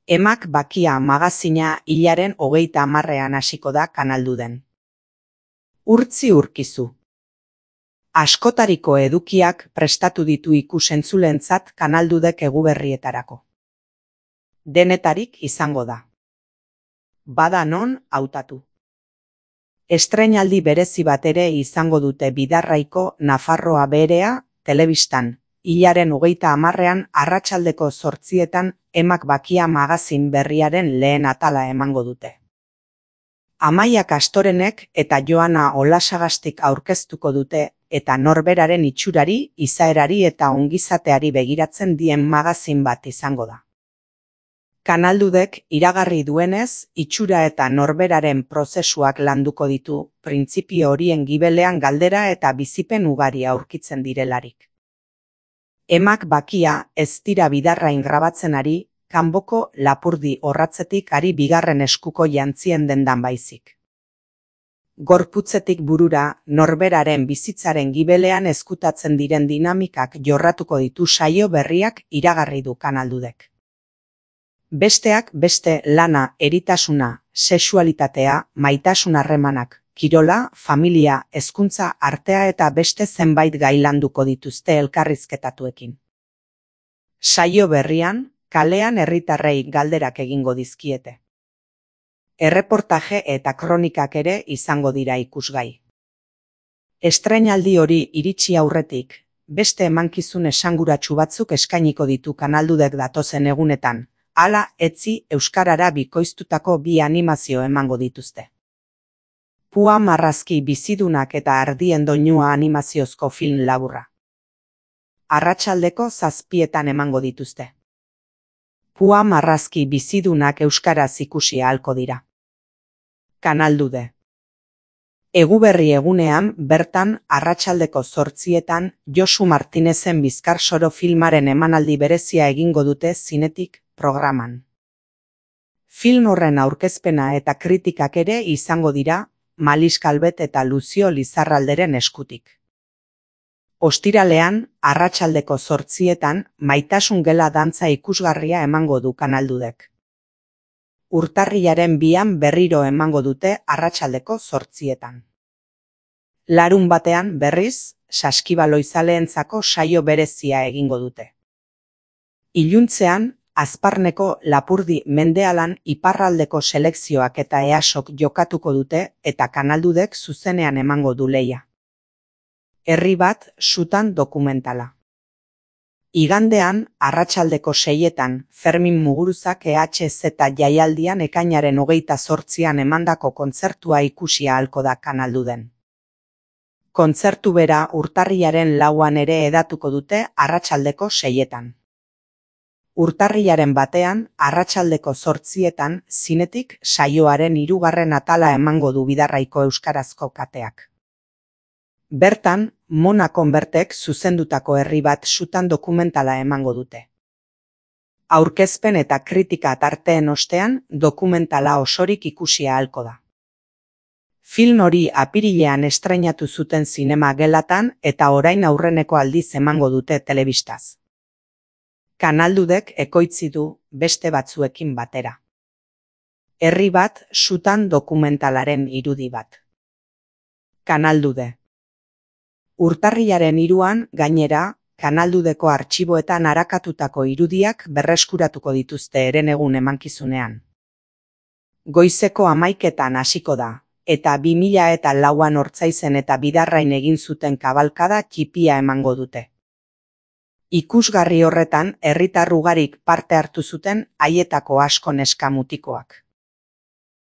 Emak Bakia magazina hilaren 30ean hasiko da Kanalduden. Urtzi urkizu. Askotariko edukiak prestatu ditu ikus-entzulentzat Kanaldudek eguberrietarako. Denetarik izango da. Bada non hautatu. Estreinaldi berezi bat ere izango dute Bidarraiko Nafarroa Berea telebistan. Hilaren 30ean arratsaldeko 8etan Emak Bakia magazin berriaren lehen atala emango dute. Amaia Kastorenek eta Joana Olasagastik aurkeztuko dute eta norberaren itxurari, izaerari eta ongizateari begiratzen dien magazin bat izango da. Kanaldudek iragarri duenez, itxura eta norberaren prozesuak landuko ditu, printzipio horien gibelean galdera eta bizipen ugari aurkitzen direlarik. Emak Bakia ez dira Bidarrain grabatzen ari, kanboko Lapurdi orratzetik ari bigarren eskuko jantzien dendan baizik. Gorputzetik burura, norberaren bizitzaren gibelean ezkutatzen diren dinamikak jorratuko ditu saio berriak iragarri du Kanaldudek. Besteak beste lana, eritasuna, sexualitatea, maitasun harremanak, kirola, familia, hezkuntza, artea eta beste zenbait gai landuko dituzte elkarrizketatuekin. Saio berrian, kalean herritarrei galderak egingo dizkiete. Erreportaje eta kronikak ere izango dira ikusgai. Estreinaldi hori iritsi aurretik, beste emankizun esanguratsu batzuk eskainiko ditu Kanaldudek datozen egunetan, hala etzi euskarara bikoiztutako 2 animazio emango dituzte. Pua marrazki bizidunak eta ardien doinua animaziozko film laburra. Arratsaldeko 7etan emango dituzte. Pua marrazki bizidunak euskaraz ikusi ahalko dira. Kanaldude. Eguberri egunean bertan arratsaldeko 8etan Josu Martinezen Bizkarsoro filmaren emanaldi berezia egingo dute zinetik programan. Film horren aurkezpena eta kritikak ere izango dira Malis Kalbet eta Luzio Lizarralderen eskutik. Ostiralean, arratsaldeko 8etan, Maitasun Gela dantza ikusgarria emango du Kanaldudek. Urtarrilaren 2an berriro emango dute arratsaldeko 8etan. Larunbatean berriz, saskibaloizaleentzako saio berezia egingo dute. Iluntzean, Azparneko Lapurdi Mendealan iparraldeko selekzioak eta EASok jokatuko dute eta Kanaldudek zuzenean emango du lehia. Herri bat sutan dokumentala. Igandean, arratsaldeko 6etan, Fermin Muguruzak EHZ jaialdian ekainaren 28ean emandako kontzertua ikusi ahalko da Kanalduden. Kontzertu bera urtarrilaren 4an ere edatuko dute arratsaldeko 6etan. Urtarrilaren 1ean, arratsaldeko 8etan, zinetik saioaren 3. atala emango du Bidarraiko euskarazko kateak. Bertan, Mona Konbertek zuzendutako herri bat sutan dokumentala emango dute. Aurkezpen eta kritika tarteen ostean, dokumentala osorik ikusi ahalko da. Film hori apirilean estreinatu zuten zinema gelatan eta orain aurreneko aldiz emango dute telebistaz. Kanaldudek ekoitzi du beste batzuekin batera. Herri bat sutan dokumentalaren irudi bat. Kanaldude. Urtarrilaren 3an, gainera, Kanaldudeko artxiboetan arakatutako irudiak berreskuratuko dituzte herenegun emankizunean. Goizeko 11etan hasiko da, eta 2004an Ortzaizen eta Bidarrain egin zuten kabalkada txipia emango dute. Ikusgarri horretan herritar ugarik parte hartu zuten haietako asko neska mutikoak.